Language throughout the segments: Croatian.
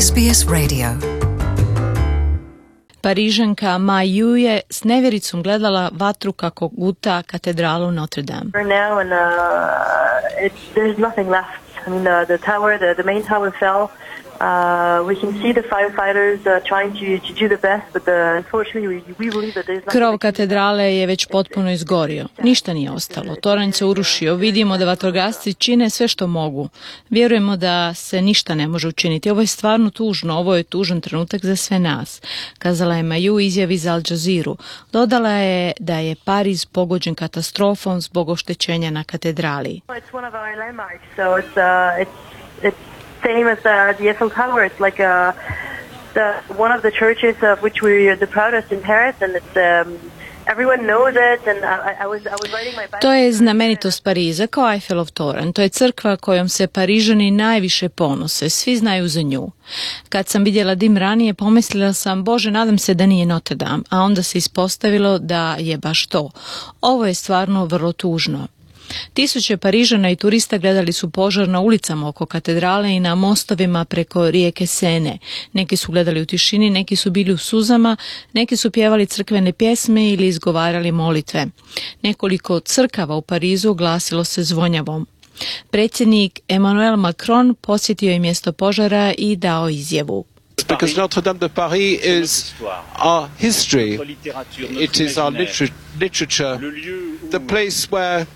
SBS Radio. Parižanka Ma Yu je s nevjericom gledala vatru kako guta katedralu Notre Dame. Now and there's nothing left. I mean, the main tower fell. We can see the firefighters trying to do the best, but unfortunately we believe that there's nothing. Krov katedrale je već potpuno izgorio. Ništa nije ostalo. Toranj se urušio. Vidimo da vatrogasci čine sve što mogu. Vjerujemo da se ništa ne može učiniti. Ovo je stvarno tužno. Ovo je tužan trenutak za sve nas. Kazala je Ma Yu u izjavi za Al Jazeeru. Dodala je da je Pariz pogođen katastrofom zbog oštećenja na katedrali. It's one of our landmarks, so it's same as the Eiffel Tower. It's like one of the churches of which we're the proudest in Paris, and it's everyone knows it. And I was writing my. To je znamenitost Pariza kao Eiffelov toranj. To je crkva kojom se Parižani najviše ponose. Svi znaju za nju. Kad sam vidjela dim ranije, pomislila sam, Bože, nadam se da nije Notre Dame, a onda se ispostavilo da je baš to. Ovo je stvarno vrlo tužno. Tisuće Parižana i turista gledali su požar na ulicama oko katedrale i na mostovima preko rijeke Sene. Neki su gledali u tišini, neki su bili u suzama, neki su pjevali crkvene pjesme ili izgovarali molitve. Nekoliko crkava u Parizu glasilo se zvonjavom. Predsjednik Emmanuel Macron posjetio je mjesto požara i dao izjavu. Because Notre Dame de Paris is our history, it is our literature, the place where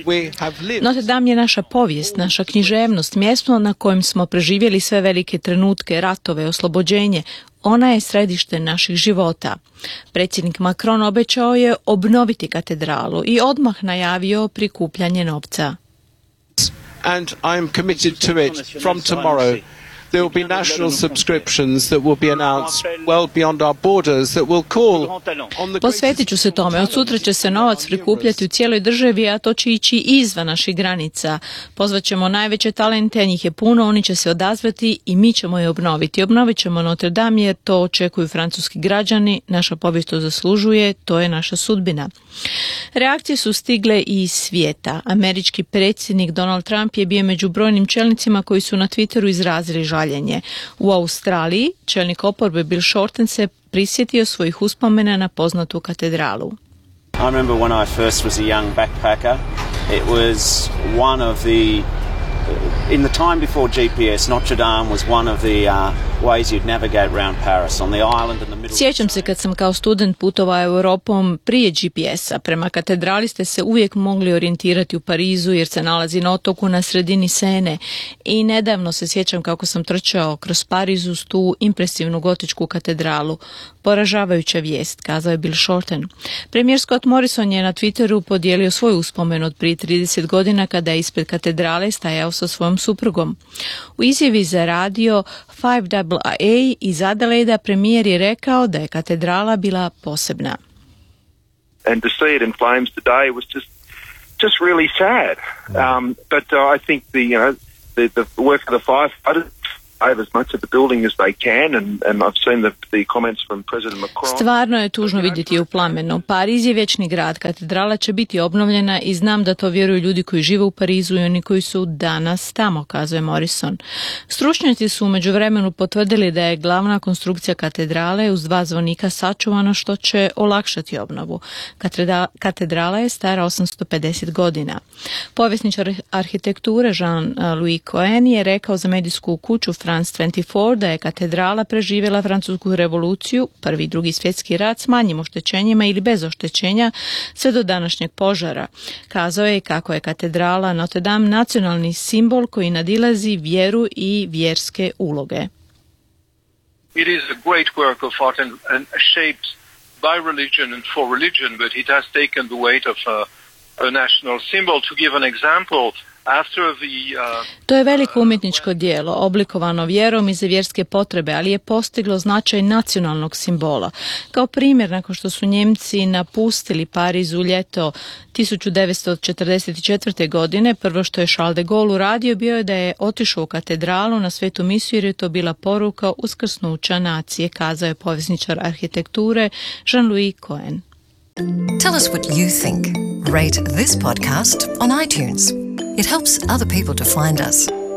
we have lived. Notre Dame je naša povijest, naša književnost, mjesto na kojem smo preživjeli sve velike trenutke, ratove, oslobođenje. Ona je središte naših života. Predsjednik Macron obećao je obnoviti katedralu i odmah najavio prikupljanje novca. And I am committed to it from tomorrow. There will be national subscriptions that will be announced well beyond our borders that will call on the. Posvetit ću se tome. Od sutra će se novac prikupljati u cijeloj državi, a to će ići izvan naših granica. Pozvaćemo najveće talente, njih je puno, oni će se odazvati i mi ćemo je obnoviti. Obnovit ćemo Notre Dame jer to očekuju francuski građani, naša povijest to zaslužuje, to je naša sudbina. Reakcije su stigle i iz svijeta. Američki predsjednik Donald Trump je bio među brojnim čelnicima koji su na Twitteru izrazili žaljenje. U Australiji čelnik oporbe Bill Shorten se prisjetio svojih uspomena na poznatu katedralu. I remember when I first was a young backpacker, it was one of the in the time before GPS, Notre Dame was one of the ways you'd navigate around Paris on the island in the middle. Sjećam se kad sam kao student putovao Europom prije GPS-a. Prema katedrali ste se uvijek mogli orijentirati u Parizu jer se nalazi na otoku na sredini Sene. I nedavno se sjećam kako sam trčao kroz Pariz uz tu impresivnu gotičku katedralu. Poražavajuća vijest, kazao je Bill Shorten. Premijer Scott Morrison je na Twitteru podijelio svoju uspomenu od prije 30 godina kada je ispred katedrale stajao sa svojom suprugom. U izjavi za radio 5AA iz Adelaida premijer je rekao da je katedrala bila posebna. And to see it in flames today was just really sad. But I think the work of the firefighters save as much of the building as they can, and I've seen the comments from President Macron. Stvarno je tužno vidjeti u plamenu. Pariz je vječni grad, katedrala će biti obnovljena i znam da to vjeruju ljudi koji žive u Parizu i oni koji su danas tamo, kazuje Morrison. Stručnjaci su u međuvremenu potvrdili da je glavna konstrukcija katedrale uz 2 zvonika sačuvano što će olakšati obnovu. Katedrala je stara 850 godina. Povjesničar arhitekture Jean-Louis Cohen je rekao za medijsku kuću France 24 da je katedrala preživjela Francusku revoluciju, Prvi i Drugi svjetski rat s manjim oštećenjima ili bez oštećenja sve do današnjeg požara. Kazao je kako je katedrala Notre Dame nacionalni simbol koji nadilazi vjeru i vjerske uloge. It is a great work of art and shaped by religion and for religion, but it has taken the weight of a national symbol. To give an example, to je veliko umjetničko djelo, oblikovano vjerom i za vjerske potrebe, ali je postiglo značaj nacionalnog simbola. Kao primjer, nakon što su Njemci napustili Pariz u ljeto 1944. godine, prvo što je Charles de Gaulle uradio bio je da je otišao u katedralu na Svetu misiju jer je to bila poruka uskrsnuća nacije, kazao je povjesničar arhitekture Jean-Louis Cohen. Tell us what you think. Rate this podcast on iTunes. It helps other people to find us.